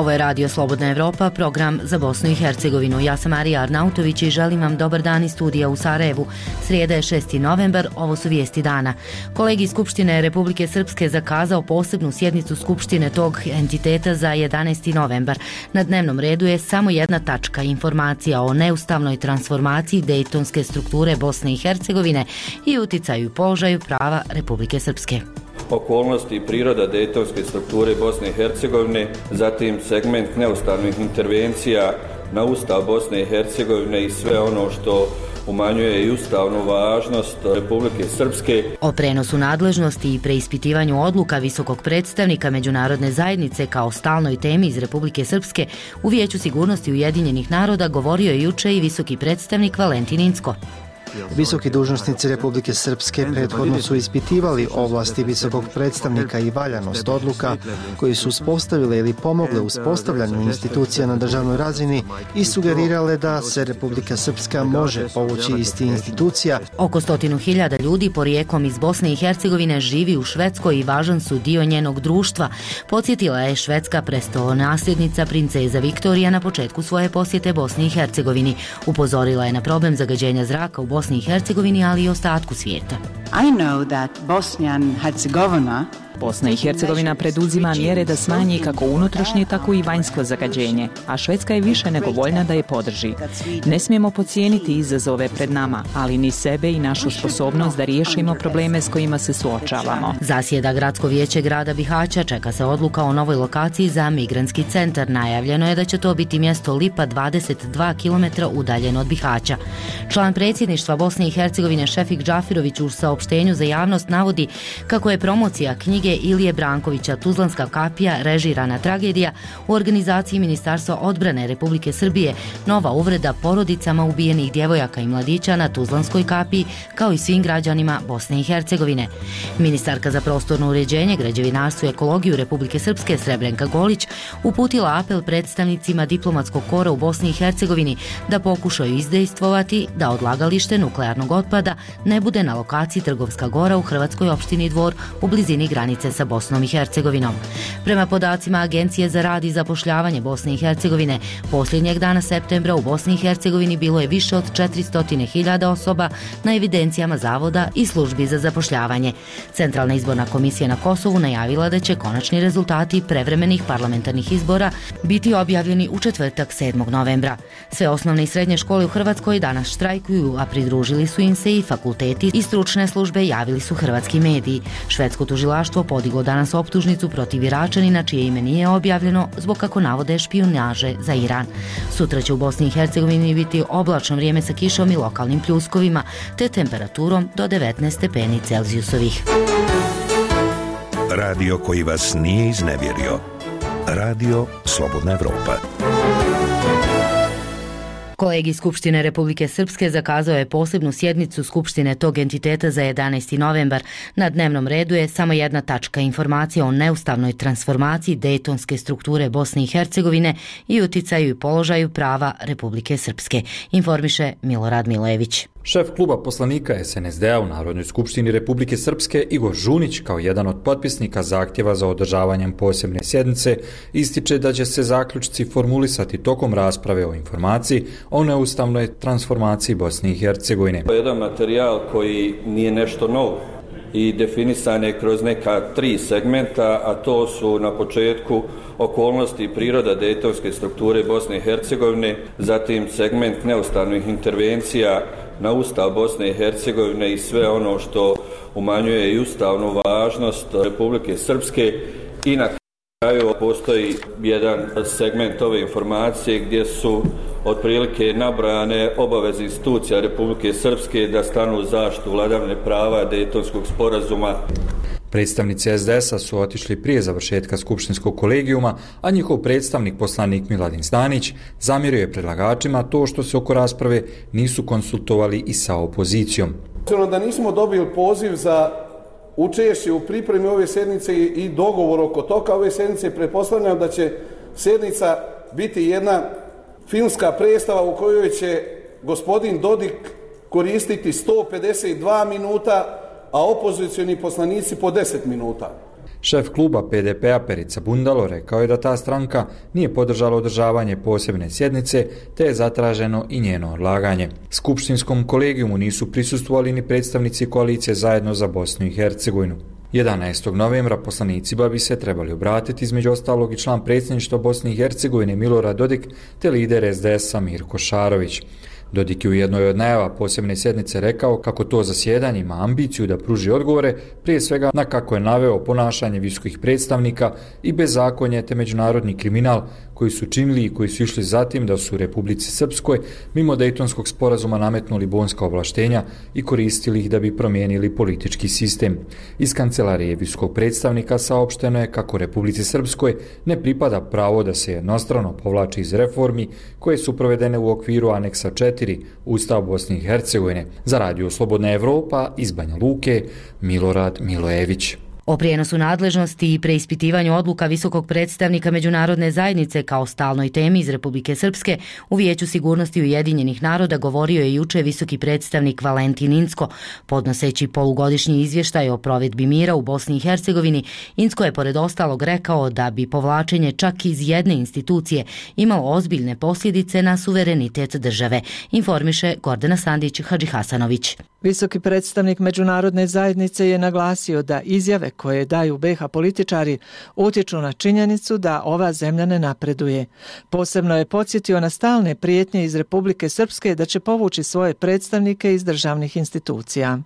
Ovo je Radio Slobodna Evropa, program za Bosnu i Hercegovinu. Ja sam Marija Arnautović i želim vam dobar dan iz studija u Sarajevu. Srijeda je 6. novembar, ovo su vijesti dana. Kolegij Skupštine Republike Srpske zakazao posebnu sjednicu Skupštine tog entiteta za 11. novembar. Na dnevnom redu je samo jedna tačka, informacija o neustavnoj transformaciji dejtonske strukture Bosne i Hercegovine i uticaju i položaju prava Republike Srpske. Okolnosti i priroda dejtonske strukture Bosne i Hercegovine, zatim segment neustavnih intervencija na Ustav Bosne i Hercegovine i sve ono što umanjuje i ustavnu važnost Republike Srpske. O prenosu nadležnosti i preispitivanju odluka visokog predstavnika međunarodne zajednice kao stalnoj temi iz Republike Srpske u Vijeću sigurnosti Ujedinjenih naroda govorio je juče i visoki predstavnik Valentin Incko. Visoki dužnosnici Republike Srpske prethodno su ispitivali ovlasti visokog predstavnika i valjanost odluka koji su uspostavile ili pomogle uspostavljanju institucija na državnoj razini i sugerirale da se Republika Srpska može povući isti institucija. Oko 100.000 ljudi porijeklom iz Bosne i Hercegovine živi u Švedskoj i važan su dio njenog društva. Podsjetila je švedska prestolonasljednica princeza Viktorija na početku svoje posjete Bosni i Hercegovini. Upozorila je na problem zagađenja zraka u Bosni i Hercegovini, ali i ostatku svijeta. Bosna i Hercegovina preduzima mjere da smanji kako unutrašnje, tako i vanjsko zagađenje, a Švedska je više nego voljna da je podrži. Ne smijemo podcijeniti izazove pred nama, ali ni sebe i našu sposobnost da riješimo probleme s kojima se suočavamo. Zasjeda Gradsko vijeće grada Bihaća, čeka se odluka o novoj lokaciji za migrantski centar. Najavljeno je da će to biti mjesto Lipa 22 km udaljeno od Bihaća. Član predsjedništva Bosne i Hercegovine Šefik Džafirović u saopštenju za javnost navodi kako je promocija knjige Ilije Brankovića Tuzlanska kapija, režirana tragedija, u organizaciji Ministarstva odbrane Republike Srbije nova uvreda porodicama ubijenih djevojaka i mladića na Tuzlanskoj kapiji, kao i svim građanima Bosne i Hercegovine. Ministarka za prostorno uređenje, građevinarstvo i ekologiju Republike Srpske Srebrenka Golić uputila apel predstavnicima diplomatskog kora u Bosni i Hercegovini da pokušaju izdejstvovati da odlagalište nuklearnog otpada ne bude na lokaciji Trgovska gora u hrvatskoj opštini Dvor u blizini granice sa Bosnom i Hercegovinom. Prema podacima Agencije za rad i zapošljavanje Bosne i Hercegovine, posljednjeg dana septembra u Bosni i Hercegovini bilo je više od 400.000 osoba na evidencijama zavoda i službi za zapošljavanje. Centralna izborna komisija na Kosovu najavila da će konačni rezultati prevremenih parlamentarnih izbora biti objavljeni u četvrtak 7. novembra. Sve osnovne i srednje škole u Hrvatskoj danas štrajkuju, a pridružili su im se i fakulteti i stručne službe, javili su hrvatski mediji. Švedsko tužilaštvo podiglo danas optužnicu protiv Iračanina čije ime nije objavljeno zbog, kako navode, špijunaže za Iran. Sutra će u Bosni i Hercegovini biti oblačno vrijeme sa kišom i lokalnim pljuskovima, te temperaturom do 19 stepeni Celzijusovih. Radio koji vas nije iznevjerio. Radio Slobodna Evropa. Kolegij Skupštine Republike Srpske zakazao je posebnu sjednicu Skupštine tog entiteta za 11. novembar. Na dnevnom redu je samo jedna tačka, informacija o neustavnoj transformaciji dejtonske strukture Bosne i Hercegovine i uticaju i položaju prava Republike Srpske, informiše Milorad Milojević. Šef kluba poslanika SNSD-a u Narodnoj skupštini Republike Srpske Igor Žunić, kao jedan od potpisnika zahtjeva za održavanjem posebne sjednice, ističe da će se zaključci formulisati tokom rasprave o informaciji o neustavnoj transformaciji Bosne i Hercegovine. Jedan materijal koji nije nešto novo i definisan je kroz neka 3 segmenta, a to su na početku okolnosti i priroda dejtonske strukture Bosne i Hercegovine, zatim segment neustavnih intervencija na Ustav Bosne i Hercegovine i sve ono što umanjuje i ustavnu važnost Republike Srpske i na kraju postoji jedan segment ove informacije gdje su otprilike nabrojane obaveze institucija Republike Srpske da stanu u zaštitu vladavine prava Dejtonskog sporazuma. Predstavnici SDS-a su otišli prije završetka skupštinskog kolegijuma, a njihov predstavnik, poslanik Miladin Stanić, zamjerio je predlagačima to što se oko rasprave nisu konsultovali i sa opozicijom. Da nismo dobili poziv za učešće u pripremi ove sjednice i dogovor oko toga ove sjednice, pretpostavljam da će sjednica biti jedna filmska predstava u kojoj će gospodin Dodik koristiti 152 minuta, a opozicioni poslanici po 10 minuta. Šef kluba PDP-a Perica Bundalo rekao je da ta stranka nije podržala održavanje posebne sjednice, te je zatraženo i njeno odlaganje. Skupštinskom kolegijumu nisu prisustvovali ni predstavnici koalicije Zajedno za Bosnu i Hercegovinu. 11. novembra poslanicima bi se trebali obratiti između ostalog i član predsjedništva Bosne i Hercegovine Milorad Dodik te lider SDS-a Mirko Šarović. Dodik je u jednoj od najava posebne sjednice rekao kako to zasjedanje ima ambiciju da pruži odgovore, prije svega na kako je naveo ponašanje visokih predstavnika i bezakonje te međunarodni kriminal koji su činili i koji su išli zatim da su u Republici Srpskoj mimo Dejtonskog sporazuma nametnuli bonska ovlaštenja i koristili ih da bi promijenili politički sistem. Iz kancelarije visokog predstavnika saopšteno je kako Republici Srpskoj ne pripada pravo da se jednostrano povlači iz reformi koje su provedene u okviru aneksa 4 Ustav Bosne i Hercegovine. Za Radio Slobodna Evropa iz Banja Luke, Milorad Milojević. O prijenosu nadležnosti i preispitivanju odluka visokog predstavnika međunarodne zajednice kao stalnoj temi iz Republike Srpske u Vijeću sigurnosti Ujedinjenih naroda govorio je juče visoki predstavnik Valentin Incko. Podnoseći polugodišnji izvještaj o provedbi mira u Bosni i Hercegovini, Incko je pored ostalog rekao da bi povlačenje čak iz jedne institucije imalo ozbiljne posljedice na suverenitet države, informiše Gordana Sandić-Hadžihasanović. Visoki predstavnik međunarodne zajednice je naglasio da izjave koje daju BiH političari utječu na činjenicu da ova zemlja ne napreduje. Posebno je podsjetio na stalne prijetnje iz Republike Srpske da će povući svoje predstavnike iz državnih institucija.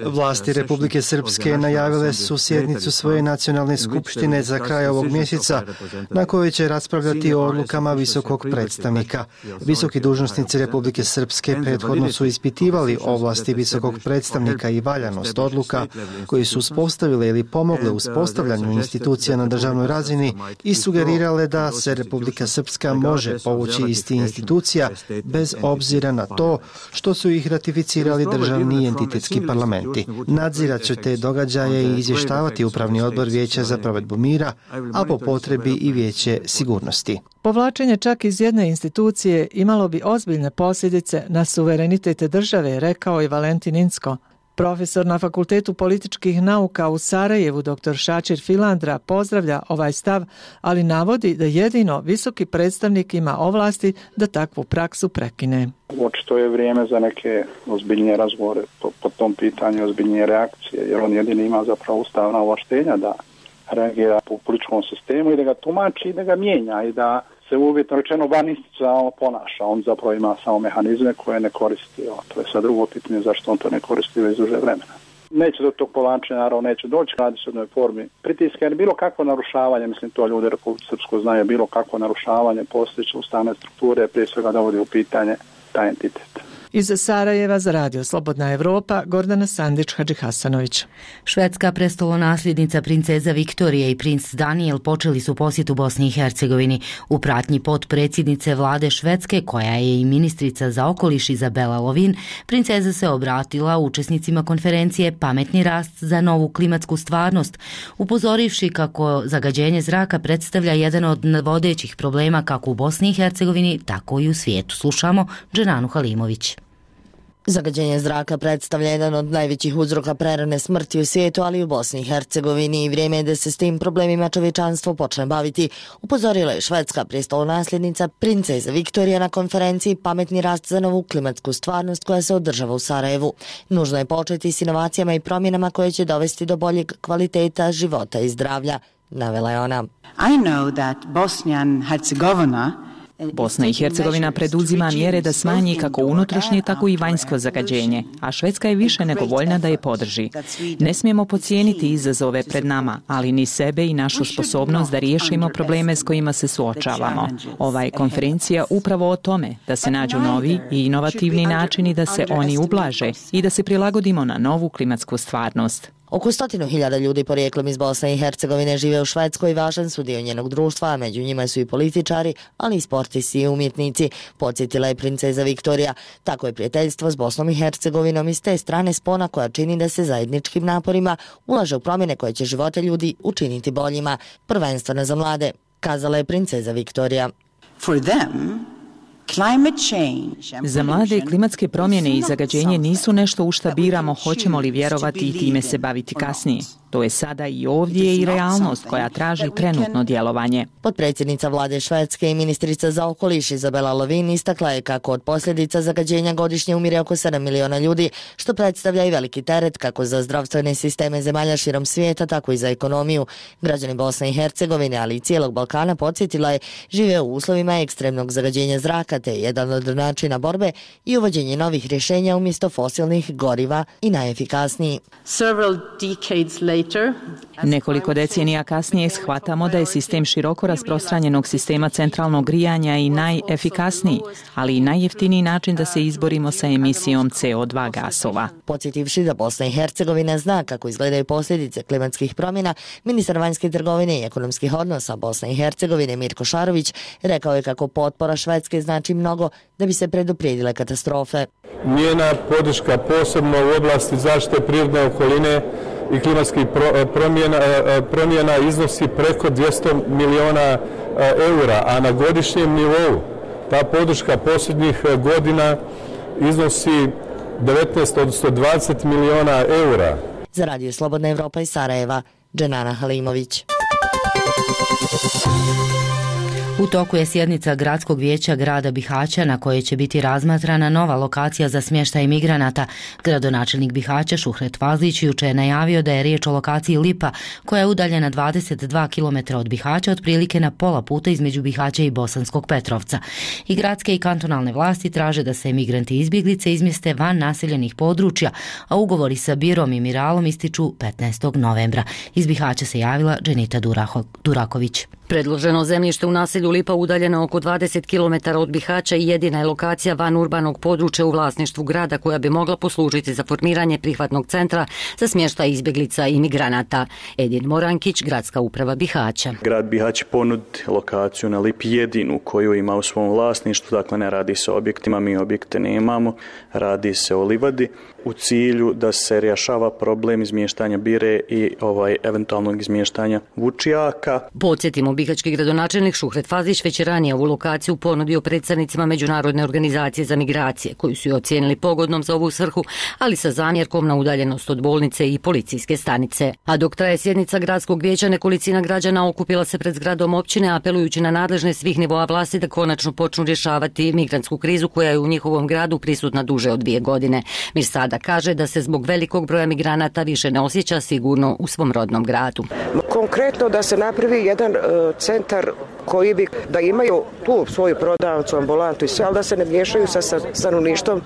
Vlasti Republike Srpske najavile su sjednicu svoje nacionalne skupštine za kraj ovog mjeseca, na kojoj će raspravljati o odlukama visokog predstavnika. Visoki dužnosnici Republike Srpske prethodno su ispitivali ovlasti visokog predstavnika i valjanost odluka koji su uspostavile ili pomogle uspostavljanju institucija na državnoj razini i sugerirale da se Republika Srpska može povući iz tih institucija bez obzira na to što su ih ratificirali državni i entitetski parlamenti. Nadzirat će te događaje i izvještavati Upravni odbor Vijeća za provedbu mira, a po potrebi i Vijeće sigurnosti. Povlačenje čak iz jedne institucije imalo bi ozbiljne posljedice na suverenitet države, rekao je Valentin Incko. Profesor na Fakultetu političkih nauka u Sarajevu, dr. Šačir Filandra, pozdravlja ovaj stav, ali navodi da jedino visoki predstavnik ima ovlasti da takvu praksu prekine. Očito je vrijeme za neke ozbiljnije razgovore po tom pitanju, ozbiljnije reakcije, jer on jedini ima zapravo ustavna ovlaštenja da reagira po političkom sistemu i da ga tumači i da ga mijenja i da se uvjetno rečeno vaninstitucionalno ponaša. On zapravo ima samo mehanizme koje ne koristi. To je sad drugo pitanje zašto on to ne koristi već duže vremena. Neće do tog povlačenja, naravno neće doći, radi se o jednoj formi pritiska, jer bilo kakvo narušavanje, mislim to ljudi u Republici Srpskoj znaju, bilo kakvo narušavanje postojeće ustavne strukture, prije svega dovodi u pitanje taj entitet. Iz Sarajeva za Radio Slobodna Evropa, Gordana Sandić-Hadžihasanović. Švedska prestolonasljednica princeza Viktorija i princ Daniel počeli su posjetu Bosni i Hercegovini. U pratnji potpredsjednice vlade Švedske, koja je i ministrica za okoliš Izabela Lovin, princeza se obratila učesnicima konferencije Pametni rast za novu klimatsku stvarnost, upozorivši kako zagađenje zraka predstavlja jedan od vodećih problema kako u Bosni i Hercegovini, tako i u svijetu. Slušamo Dženanu Halimović. Zagađenje zraka predstavlja jedan od najvećih uzroka prerane smrti u svijetu, ali i u Bosni i Hercegovini, i vrijeme je da se s tim problemima čovječanstvo počne baviti, upozorila je švedska prestolonasljednica princeza Viktorija na konferenciji Pametni rast za novu klimatsku stvarnost koja se održava u Sarajevu. Nužno je početi s inovacijama i promjenama koje će dovesti do boljeg kvaliteta života i zdravlja, navela je ona. Bosna i Hercegovina preduzima mjere da smanji kako unutrašnje, tako i vanjsko zagađenje, a Švedska je više nego voljna da je podrži. Ne smijemo podcijeniti izazove pred nama, ali ni sebe i našu sposobnost da riješimo probleme s kojima se suočavamo. Ova je konferencija upravo o tome, da se nađu novi i inovativni načini da se oni ublaže i da se prilagodimo na novu klimatsku stvarnost. Oko 100.000 ljudi porijeklom iz Bosne i Hercegovine žive u Švedskoj i važan su dio njenog društva, a među njima su i političari, ali i sportisti i umjetnici, podsjetila je princeza Viktorija. Tako je prijateljstvo s Bosnom i Hercegovinom iz te strane spona koja čini da se zajedničkim naporima ulaže u promjene koje će živote ljudi učiniti boljima, prvenstveno za mlade, kazala je princeza Viktorija. For them, Za mlade klimatske promjene i zagađenje nisu nešto u šta biramo hoćemo li vjerovati i time se baviti kasnije. To je sada i ovdje i realnost koja traži trenutno djelovanje. Potpredsjednica vlade Švedske i ministrica za okoliš Izabela Lövin istakla je kako od posljedica zagađenja godišnje umire oko 7 miliona ljudi, što predstavlja i veliki teret kako za zdravstvene sisteme zemalja širom svijeta, tako i za ekonomiju. Građani Bosne i Hercegovine, ali i cijelog Balkana, podsjetila je, žive u uslovima ekstremnog zagađenja zraka, te jedan od načina borbe i uvođenje novih rješenja umjesto fosilnih goriva i najefikasniji. Nekoliko decenija kasnije shvatamo da je sistem široko rasprostranjenog sistema centralnog grijanja i najefikasniji, ali i najjeftiniji način da se izborimo sa emisijom CO2 gasova. Podsjetivši da Bosna i Hercegovina zna kako izgledaju posljedice klimatskih promjena, ministar vanjske trgovine i ekonomskih odnosa Bosne i Hercegovine Mirko Šarović rekao je kako potpora Švedske znači mnogo da bi se preduprijedile katastrofe. Njena podrška posebno u oblasti zaštite prirodne okoline i klimatskih promjena iznosi preko 200 miliona eura, a na godišnjem nivou ta podrška posljednjih godina iznosi 19, odnosno 20 miliona eura. Za Radio Slobodna Evropa iz Sarajeva, Dženana Halimović. U toku je sjednica Gradskog vijeća grada Bihaća na kojoj će biti razmatrana nova lokacija za smještaj migranata. Gradonačelnik Bihaća Šuhret Fazlić jučer je najavio da je riječ o lokaciji Lipa, koja je udaljena 22 km od Bihaća, otprilike na pola puta između Bihaća i Bosanskog Petrovca. I gradske i kantonalne vlasti traže da se migranti i izbjeglice izmjeste van naseljenih područja, a ugovori sa Birom i Miralom ističu 15. novembra. Iz Bihaća se javila Dženita Duraković. Predloženo zemljište u naselju Lipa udaljeno oko 20 km od Bihaća i jedina je lokacija van urbanog područja u vlasništvu grada koja bi mogla poslužiti za formiranje prihvatnog centra za smještaj izbjeglica i migranata. Edin Morankić, gradska uprava Bihaća. Grad Bihać ponudi lokaciju na Lipi jedinu koju ima u svom vlasništvu, dakle ne radi se o objektima, mi objekte nemamo, radi se o livadi u cilju da se rješava problem izmještanja Bire i eventualnog izmještanja Vučijaka. Podsjetimo, bihaćki gradonačelnik Šuhret Fazlić već je ranije ovu lokaciju ponudio predstavnicima Međunarodne organizacije za migracije, koju su je ocijenili pogodnom za ovu svrhu, ali sa zamjerkom na udaljenost od bolnice i policijske stanice. A dok traje sjednica gradskog vijeća, nekolicina građana okupila se pred zgradom općine, apelujući na nadležne svih nivoa vlasti da konačno počnu rješavati migrantsku krizu koja je u njihovom gradu prisutna duže od 2 godine. Mir Sada kaže da se zbog velikog broja migranata više ne osjeća sigurno u svom rodnom gradu. Konkretno da se napravi jedan centar koji bi, da imaju tu svoju prodavnicu, ambulantu i sve, ali da se ne miješaju sa stanovništvom,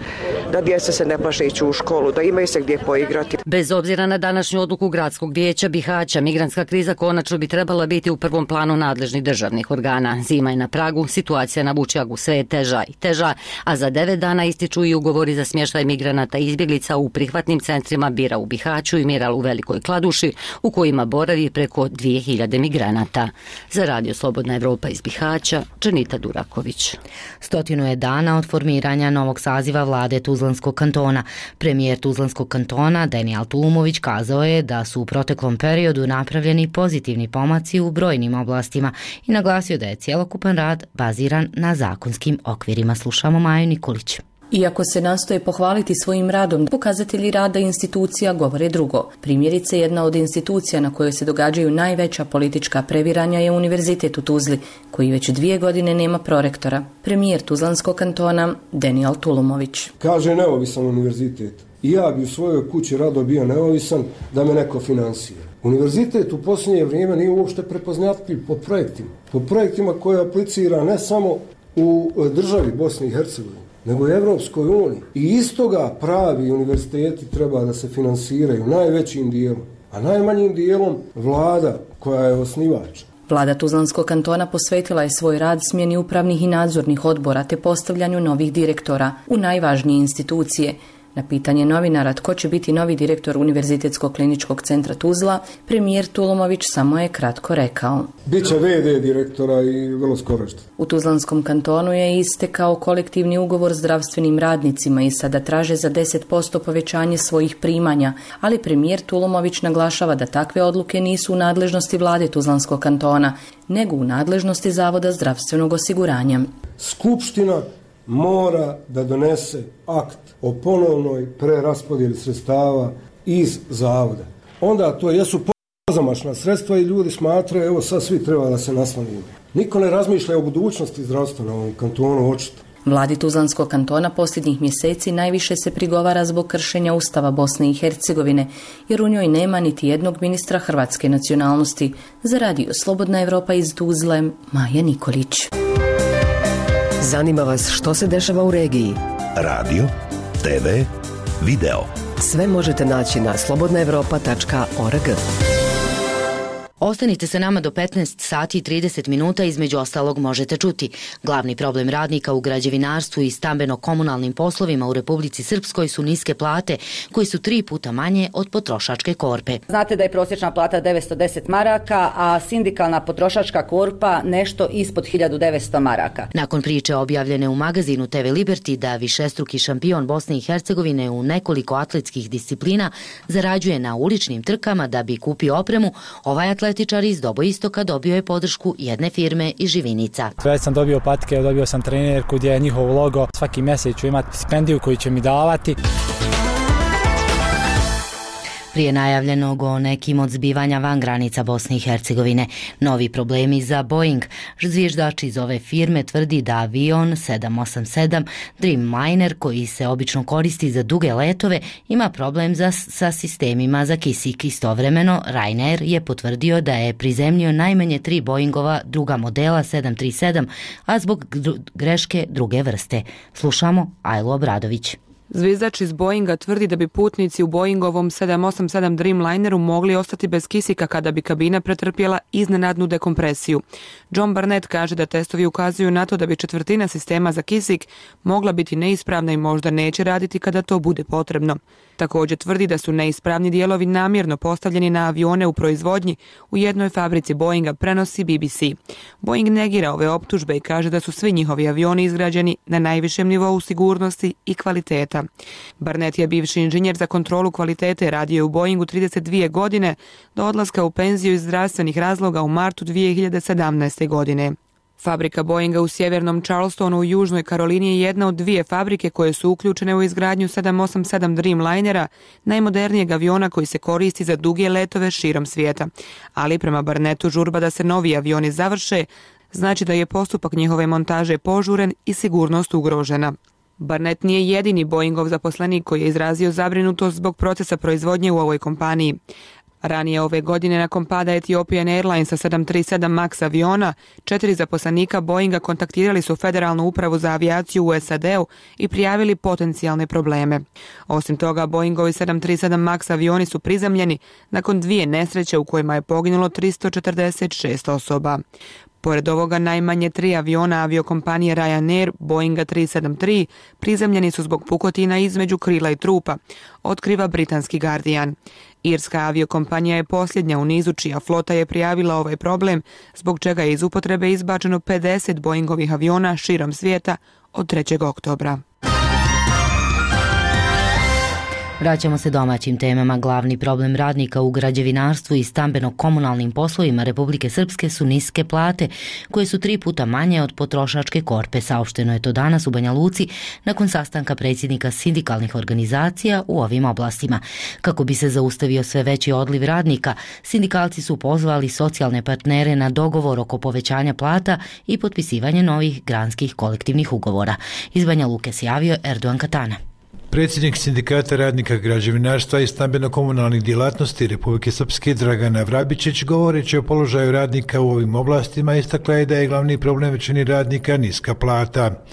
da djeca se ne plaše ići u školu, da imaju se gdje poigrati. Bez obzira na današnju odluku Gradskog vijeća Bihaća, migrantska kriza konačno bi trebala biti u prvom planu nadležnih državnih organa. Zima je na pragu, situacija na Vučjagu sve je teža i teža, a za 9 dana ističu i ugovori za smještaj migranata i izbjeglica u prihvatnim centrima Bira u Bihaću i Miral u Velikoj Kladuši, u kojima boravi preko 2000 migranata. Za Radio Slobodna Evropa iz Bihaća, Dženita Duraković. 100 je dana od formiranja novog saziva vlade Tuzlanskog kantona. Premijer Tuzlanskog kantona Daniel Tulumović kazao je da su u proteklom periodu napravljeni pozitivni pomaci u brojnim oblastima i naglasio da je cjelokupan rad baziran na zakonskim okvirima. Slušamo Maju Nikolić. Iako se nastoje pohvaliti svojim radom, pokazatelji rada institucija govore drugo. Primjerice, jedna od institucija na kojoj se događaju najveća politička previranja je Univerzitet u Tuzli, koji već 2 godine nema prorektora. Premijer Tuzlanskog kantona Daniel Tulumović. Kaže neovisan univerzitet. I ja bi u svojoj kući rado bio neovisan da me neko finansira. Univerzitet u posljednje vrijeme nije uopšte prepoznatljiv po projektima koje aplicira ne samo u državi Bosne i Hercegovine, nego i Evropskoj uniji. I iz toga pravi univerziteti treba da se finansiraju najvećim dijelom, a najmanjim dijelom vlada koja je osnivač. Vlada Tuzlanskog kantona posvetila je svoj rad smjeni upravnih i nadzornih odbora te postavljanju novih direktora u najvažnije institucije. Na pitanje novinara tko će biti novi direktor Univerzitetskog kliničkog centra Tuzla, premijer Tulumović samo je kratko rekao: Biće VD direktora i vrlo skoro što. U Tuzlanskom kantonu je istekao kolektivni ugovor s zdravstvenim radnicima i sada traže za 10% povećanje svojih primanja, ali premijer Tulumović naglašava da takve odluke nisu u nadležnosti vlade Tuzlanskog kantona, nego u nadležnosti Zavoda zdravstvenog osiguranja. Skupština mora da donese akt o ponovnoj preraspodjeli sredstava iz zavoda. Onda to jesu pozamašna sredstva i ljudi smatraju, evo sad svi treba da se naslonimo. Niko ne razmišlja o budućnosti zdravstva na ovom kantonu, očito. Vladi Tuzlanskog kantona posljednjih mjeseci najviše se prigovara zbog kršenja Ustava Bosne i Hercegovine, jer u njoj nema niti jednog ministra hrvatske nacionalnosti. Za radio Slobodna Evropa iz Tuzle, Maja Nikolić. Zanima vas što se dešava u regiji? Radio, TV, video. Sve možete naći na slobodnaevropa.org. Ostanite sa nama do 15 sati i 30 minuta, između ostalog možete čuti. Glavni problem radnika u građevinarstvu i stambeno-komunalnim poslovima u Republici Srpskoj su niske plate, koje su 3 puta manje od potrošačke korpe. Znate da je prosječna plata 910 maraka, a sindikalna potrošačka korpa nešto ispod 1900 maraka. Nakon priče objavljene u magazinu TV Liberty da višestruki šampion Bosne i Hercegovine u nekoliko atletskih disciplina zarađuje na uličnim trkama da bi kupio opremu, ovaj atletičar iz Doboistoka dobio je podršku jedne firme iz Živinica. Već sam dobio patike, dobio sam trenerku gdje je njihov logo. Svaki mjesec ću imati stipendiju koju će mi davati. Prije najavljenog o nekim od zbivanja van granica Bosne i Hercegovine, novi problemi za Boeing. Zviždač iz ove firme tvrdi da avion 787 Dreamliner, koji se obično koristi za duge letove, ima problem sa sistemima za kisik. Istovremeno, Ryanair je potvrdio da je prizemljio najmanje 3 Boeingova druga modela 737, a zbog greške druge vrste. Slušamo Ajlo Obradović. Zvizdač iz Boeinga tvrdi da bi putnici u Boeingovom 787 Dreamlineru mogli ostati bez kisika kada bi kabina pretrpjela iznenadnu dekompresiju. John Barnett kaže da testovi ukazuju na to da bi četvrtina sistema za kisik mogla biti neispravna i možda neće raditi kada to bude potrebno. Također tvrdi da su neispravni dijelovi namjerno postavljeni na avione u proizvodnji u jednoj fabrici Boeinga, prenosi BBC. Boeing negira ove optužbe i kaže da su svi njihovi avioni izgrađeni na najvišem nivou sigurnosti i kvaliteta. Barnett je bivši inženjer za kontrolu kvalitete, radio je u Boeingu 32 godine do odlaska u penziju iz zdravstvenih razloga u martu 2017. godine. Fabrika Boeinga u sjevernom Charlestonu u Južnoj Karolini je jedna od 2 fabrike koje su uključene u izgradnju 787 Dreamlinera, najmodernijeg aviona koji se koristi za duge letove širom svijeta. Ali prema Barnettu žurba da se novi avioni završe znači da je postupak njihove montaže požuren i sigurnost ugrožena. Barnett nije jedini Boeingov zaposlenik koji je izrazio zabrinutost zbog procesa proizvodnje u ovoj kompaniji. Ranije ove godine nakon pada Ethiopian Airlinesa 737 MAX aviona, 4 zaposlenika Boeinga kontaktirali su Federalnu upravu za avijaciju u SAD-u i prijavili potencijalne probleme. Osim toga, Boeingovi 737 MAX avioni su prizemljeni nakon 2 nesreće u kojima je poginulo 346 osoba. Pored ovoga, najmanje 3 aviona aviokompanije Ryanair, Boeinga 373, prizemljeni su zbog pukotina između krila i trupa, otkriva britanski Guardian. Irska aviokompanija je posljednja u nizu čija flota je prijavila ovaj problem, zbog čega je iz upotrebe izbačeno 50 Boeingovih aviona širom svijeta od 3. oktobra. Vraćamo se domaćim temama. Glavni problem radnika u građevinarstvu i stambeno-komunalnim poslovima Republike Srpske su niske plate, koje su 3 puta manje od potrošačke korpe. Saopšteno je to danas u Banja Luci nakon sastanka predsjednika sindikalnih organizacija u ovim oblastima. Kako bi se zaustavio sve veći odliv radnika, sindikalci su pozvali socijalne partnere na dogovor oko povećanja plata i potpisivanje novih granskih kolektivnih ugovora. Iz Banja Luke se javio Erdogan Katana. Predsjednik Sindikata radnika građevinarstva i stambeno-komunalnih djelatnosti Republike Srpske Dragana Vrabičić, govoreći o položaju radnika u ovim oblastima, istakla je da je glavni problem većini radnika niska plata.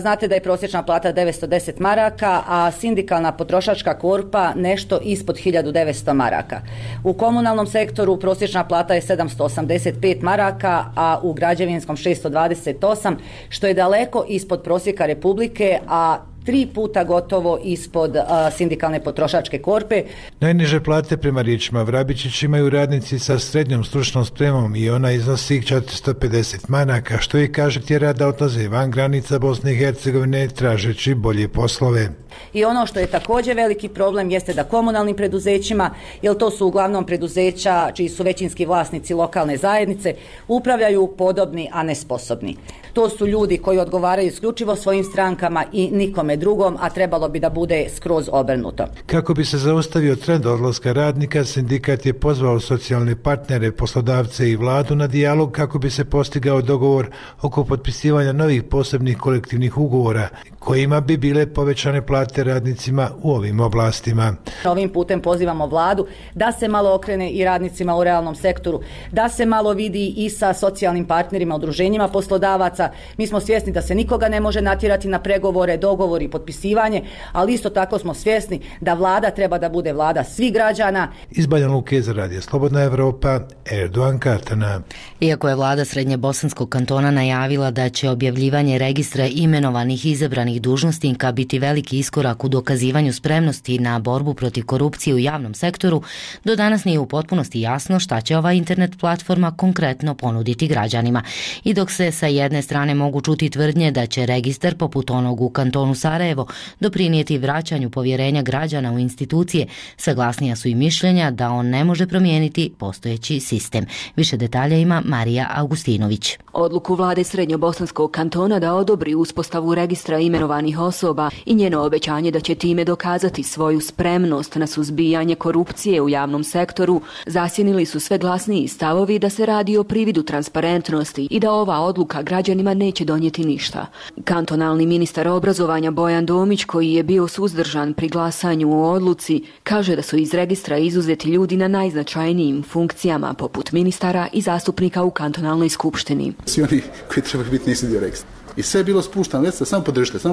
Znate da je prosječna plata 910 maraka, a sindikalna potrošačka korpa nešto ispod 1900 maraka. U komunalnom sektoru prosječna plata je 785 maraka, a u građevinskom 628, što je daleko ispod prosjeka Republike, a 3 puta gotovo ispod sindikalne potrošačke korpe. Najniže plate prema riječima Vrabičić imaju radnici sa srednjom stručnom spremom i ona iznosi 450 maraka, što i kaže tjera da odlaze van granica Bosne i Hercegovine tražeći bolje poslove. I ono što je također veliki problem jeste da komunalnim preduzećima, jer to su uglavnom preduzeća čiji su većinski vlasnici lokalne zajednice, upravljaju podobni, a nesposobni. To su ljudi koji odgovaraju isključivo svojim strankama i nikome drugom, a trebalo bi da bude skroz obrnuto. Kako bi se zaustavio trend odlaska radnika, sindikat je pozvao socijalne partnere, poslodavce i vladu na dijalog kako bi se postigao dogovor oko potpisivanja novih posebnih kolektivnih ugovora kojima bi bile povećane plate radnicima u ovim oblastima. Ovim putem pozivamo vladu da se malo okrene i radnicima u realnom sektoru, da se malo vidi i sa socijalnim partnerima, udruženjima poslodavaca. Mi smo svjesni da se nikoga ne može natjerati na pregovore, dogovor i potpisivanje, ali isto tako smo svjesni da vlada treba da bude vlada svih građana. Iz Banja Luke za Radio Slobodna Evropa, Erdogan Katana. Iako je vlada Srednjebosanskog kantona najavila da će objavljivanje registra imenovanih i izabranih dužnosnika biti veliki iskorak u dokazivanju spremnosti na borbu protiv korupcije u javnom sektoru, do danas nije u potpunosti jasno šta će ova internet platforma konkretno ponuditi građanima. I dok se sa jedne strane mogu čuti tvrdnje da će registar poput onog u kantonu Sarajevo doprinijeti vraćanju povjerenja građana u institucije, saglasnija su i mišljenja da on ne može promijeniti postojeći sistem. Više detalja ima Marija Augustinović. Odluku vlade Srednjobosanskog kantona da odobri uspostavu registra imenovanih osoba i njeno obećanje da će time dokazati svoju spremnost na suzbijanje korupcije u javnom sektoru zasjenili su sve glasniji stavovi da se radi o prividu transparentnosti i da ova odluka građanima neće donijeti ništa. Kantonalni ministar obrazovanja Bojan Domić, koji je bio suzdržan pri glasanju o odluci, kaže da su iz registra izuzeti ljudi na najznačajnijim funkcijama poput ministara i zastupnika u kantonalnoj skupštini. Svi oni koji trebaju biti nisu dio registra. I sve je bilo spuštano, već samo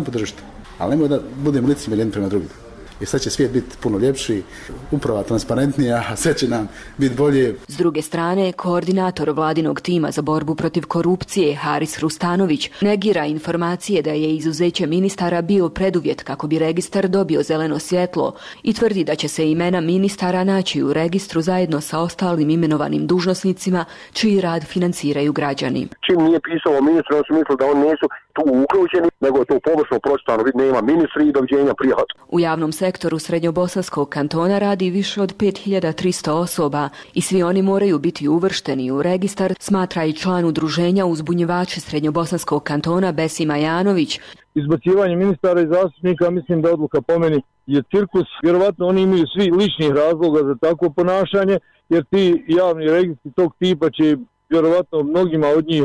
podržite. Ali nemoj da budemo licemjerni jedni prema drugim. I sad će svijet biti puno ljepši, uprava transparentnija, a sve će nam biti bolje. S druge strane, koordinator vladinog tima za borbu protiv korupcije Haris Rustanović negira informacije da je izuzeće ministara bio preduvjet kako bi registar dobio zeleno svjetlo i tvrdi da će se imena ministara naći u registru zajedno sa ostalim imenovanim dužnosnicima čiji rad financiraju građani. Čim nije pisalo ministra, on su mislili da oni nisu tu uključeni, nego je to površno pročitano, nema ministri i doviđenja prijat. U javnom sektoru Srednjobosanskog kantona radi više od 5300 osoba i svi oni moraju biti uvršteni u registar, smatra i član udruženja uzbunjivači Srednjobosanskog kantona Besima Janović. Izbacivanje ministara i zastupnika, mislim da odluka po meni je cirkus. Vjerovatno oni imaju svi ličnih razloga za takvo ponašanje, jer ti javni registri tog tipa će vjerovatno mnogima od njih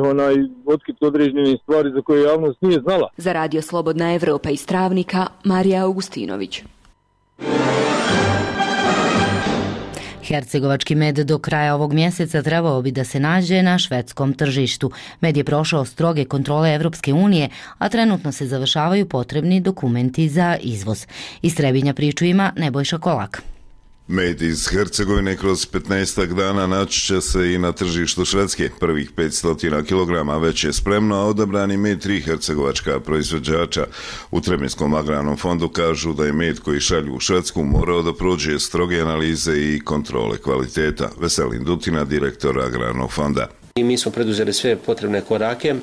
otkriti određene stvari za koje javnost nije znala. Za Radio Slobodna Evropa iz Travnika, Marija Augustinović. Hercegovački med do kraja ovog mjeseca trebao bi da se nađe na švedskom tržištu. Med je prošao stroge kontrole Evropske unije, a trenutno se završavaju potrebni dokumenti za izvoz. Iz Trebinja priču ima Nebojša Kolak. Med iz Hercegovine kroz 15 dana naći će se i na tržištu Švedske. Prvih 500 kg već je spremno, a odabrani med 3 hercegovačka proizvođača u Trebinjskom agrarnom fondu kažu da je med koji šalju u Švedsku morao da prođe stroge analize i kontrole kvaliteta. Veselin Dutina, direktor agrarnog fonda. I mi smo preduzeli sve potrebne korake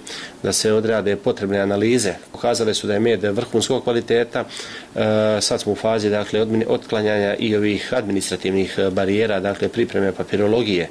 da se odrade potrebne analize. Pokazale su da je med vrhunskog kvaliteta. Sad smo u fazi otklanjanja i ovih administrativnih barijera, dakle pripreme papirologije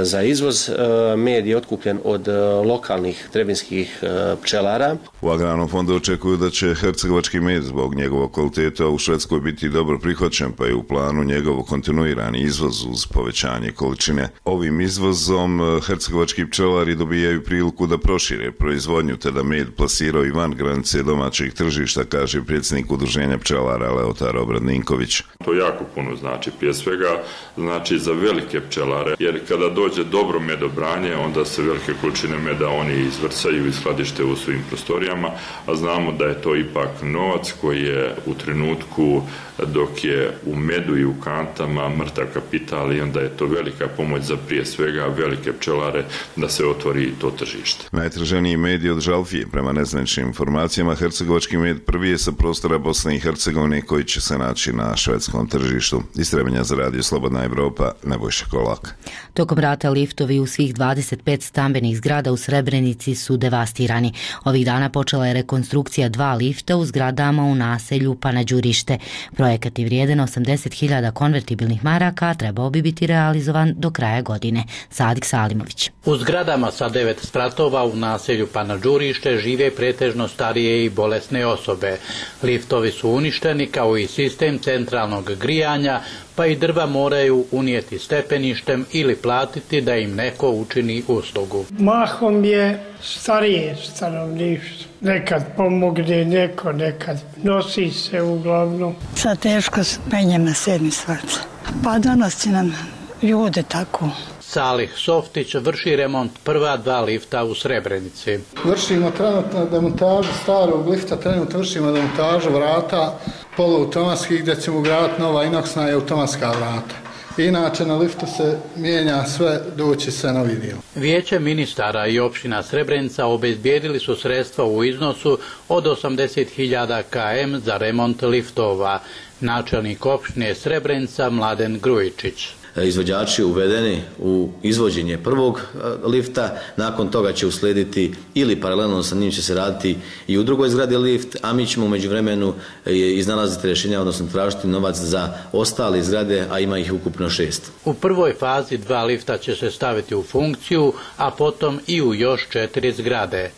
za izvoz. Med je otkupljen od lokalnih trebinskih pčelara. U agrarnom fondu očekuju da će hercegovački med zbog njegovog kvaliteta u Švedskoj biti dobro prihvaćen, pa je u planu njegov kontinuirani izvoz uz povećanje količine. Ovim izvozom hercegovački pčelari dobijaju priliku da prošire proizvodnju te da med plasiraju van granice domaćih tržišta, kaže predsjednik udruženja pčelara Leotar Obradninković. To jako puno znači, prije svega znači za velike pčelare, jer kada dođe dobro medobranje, onda se velike količine meda oni izvrcaju i skladište u svojim prostorijama, a znamo da je to ipak novac koji je u trenutku dok je u medu i u kantama mrtav kapital i onda je to velika pomoć za prije svega velike pčelare da se otvori to tržište. Najtraženiji med je od žalfije. Prema nezvaničnim informacijama, hercegovački med prvi je sa prostora Bosne i Hercegovine koji će se naći na švedskom tržištu. Iz Trebinja za Radio Slobodna Evropa, Nebojša Kolak. Tokom rata liftovi u svih 25 stambenih zgrada u Srebrenici su devastirani. Ovih dana počela je rekonstrukcija 2 lifta u zgradama u naselju Panađurište. Projekat je vrijedan 80.000 konvertibilnih maraka, trebao bi biti realizovan do kraja godine. Sadik Salimović. Đurić. U zgradama sa 9 spratova u naselju Panađurište žive pretežno starije i bolesne osobe. Liftovi su uništeni kao i sistem centralnog grijanja, pa i drva moraju unijeti stepeništem ili platiti da im neko učini uslugu. Mahom je starije stanovništvo. Nekad pomogne neko, nekad nosi se uglavnom. Sad teško penjem na 7. sprat. Pa danas će nam ljude tako. Salih Softić vrši remont prva 2 lifta u Srebrenici. Vršimo trenutno demontažu starog lifta, trenutno vršimo demontažu vrata poluautomatskih gdje ćemo ugraditi nova inoksna i automatska vrata. Inače na liftu se mijenja sve, doći se novi dio. Vijeće ministara i opština Srebrenica obezbijedili su sredstva u iznosu od 80.000 km za remont liftova. Načelnik opštine Srebrenica Mladen Grujičić. Izvođači uvedeni u izvođenje prvog lifta, nakon toga će uslijediti ili paralelno sa njim će se raditi i u drugoj zgradi lift, a mi ćemo u međuvremenu iznalaziti rješenja, odnosno tražiti novac za ostale zgrade, a ima ih ukupno 6. U prvoj fazi 2 lifta će se staviti u funkciju, a potom i u još 4 zgrade.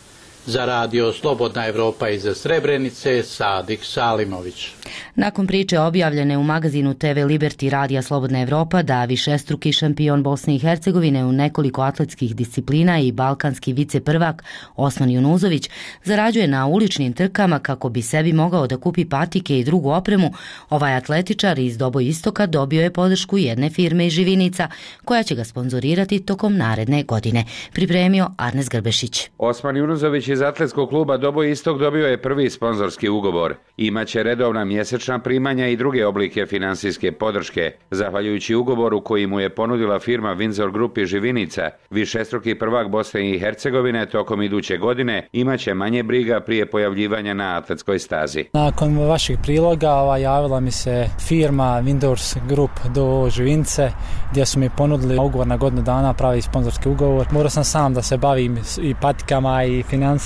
Za radio Slobodna Evropa iz Srebrenice, Sadik Salimović. Nakon priče objavljene u magazinu TV Liberty radija Slobodna Evropa da višestruki šampion Bosne i Hercegovine u nekoliko atletskih disciplina i balkanski viceprvak Osman Junuzović zarađuje na uličnim trkama kako bi sebi mogao da kupi patike i drugu opremu, ovaj atletičar iz Doboj Istoka dobio je podršku jedne firme iz Živinica koja će ga sponzorirati tokom naredne godine. Pripremio Arnes Grbešić. Osman Junuzović iz atletskog kluba Doboj Istok dobio je prvi sponzorski ugovor. Imaće redovna mjesečna primanja i druge oblike finansijske podrške. Zahvaljujući ugovoru koji mu je ponudila firma Windsor Group iz Živinica, višestruki prvak Bosne i Hercegovine tokom iduće godine imaće manje briga prije pojavljivanja na atletskoj stazi. Nakon vašeg priloga javila mi se firma Windsor Group do Živince gdje su mi ponudili ugovor na godinu dana, pravi sponzorski ugovor. Morao sam sam da se bavim i patikama i financijama,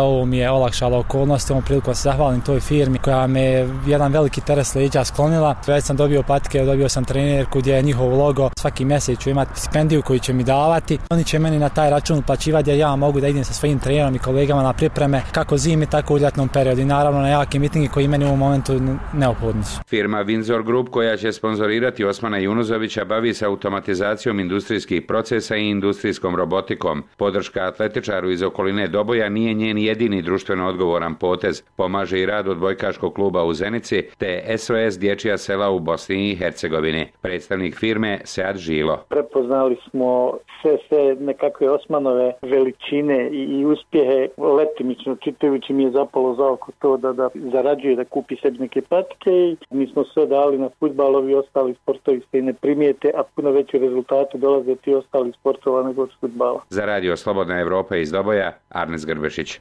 ovo mi je olakšalo okolnosti, ovom priliku se zahvalim toj firmi koja me jedan veliki teret s leđa sklonila. Već sam dobio patike, dobio sam trenerku gdje je njihov logo, svaki mjesec ću imati stipendiju koju će mi davati. Oni će meni na taj račun uplaćivati gdje ja mogu da idem sa svojim trenerom i kolegama na pripreme kako zimi, tako u ljetnom periodu i naravno na jake mitingi koji meni u ovom momentu neophodni su. Firma Windsor Group koja će sponzorirati Osmana Junuzovića bavi se automatizacijom industrijskih procesa i industrijskom robotikom. Podrška atletičaru iz okoline Doboja nije njen jedini društveno odgovoran potez. Pomaže i rad odbojkaškog kluba u Zenici te SOS dječja sela u Bosni i Hercegovini. Predstavnik firme Sead Žilo. Prepoznali smo sve nekakve Osmanove veličine i uspjehe. Letimično čitajući mi je zapalo za oko to da zarađuje, da kupi sebi neke patike i mi smo sve dali na fudbal, ovi ostali sportovi se i ne primijete, a puno veći rezultati dolaze ti ostali sportova nego od fudbala. Za radio Slobodna Evropa iz Doboja, Arnes Grbešić.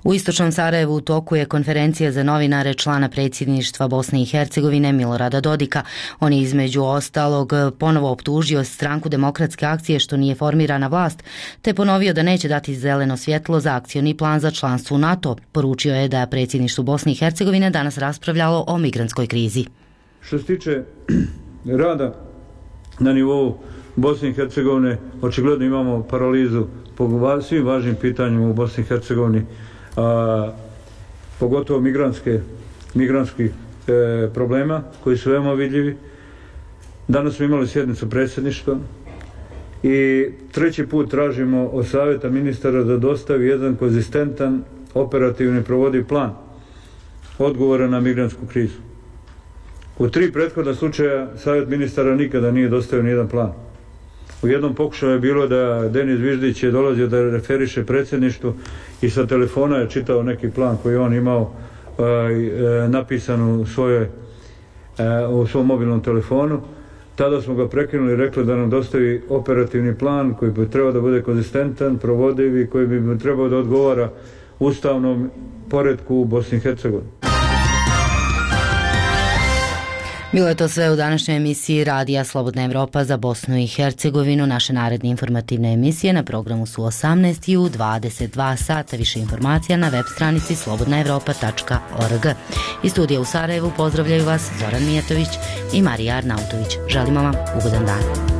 U istočnom Sarajevu u toku je konferencija za novinare člana predsjedništva Bosne i Hercegovine Milorada Dodika. On je između ostalog ponovo optužio stranku Demokratske akcije što nije formirana vlast, te ponovio da neće dati zeleno svjetlo za akcioni plan za članstvo u NATO. Poručio je da predsjedništvo Bosne i Hercegovine danas raspravljalo o migrantskoj krizi. Što se tiče rada na nivou Bosne i Hercegovine, očigledno imamo paralizu po svim važnim pitanjima u Bosni i Hercegovini, pogotovo migrantskih problema koji su veoma vidljivi. Danas smo imali sjednicu predsjedništva i treći put tražimo od savjeta ministara da dostavi jedan konzistentan, operativni provodiv plan odgovora na migrantsku krizu. U 3 prethodna slučaja savjet ministara nikada nije dostavio nijedan plan. U jednom pokušaju je bilo da Denis Viždić je dolazio da referiše predsjedništvu i sa telefona je čitao neki plan koji on imao napisan u svom mobilnom telefonu. Tada smo ga prekinuli i rekli da nam dostavi operativni plan koji bi trebao da bude konzistentan, provodiv i koji bi trebao da odgovara ustavnom poretku u Bosni i Hercegovini. Bilo je to sve u današnjoj emisiji Radija Slobodna Evropa za Bosnu i Hercegovinu. Naše naredne informativne emisije na programu su 18 i u 22 sata. Više informacija na web stranici slobodnaevropa.org. Iz studija u Sarajevu pozdravljaju vas Zoran Mijatović i Marija Arnautović. Želimo vam ugodan dan.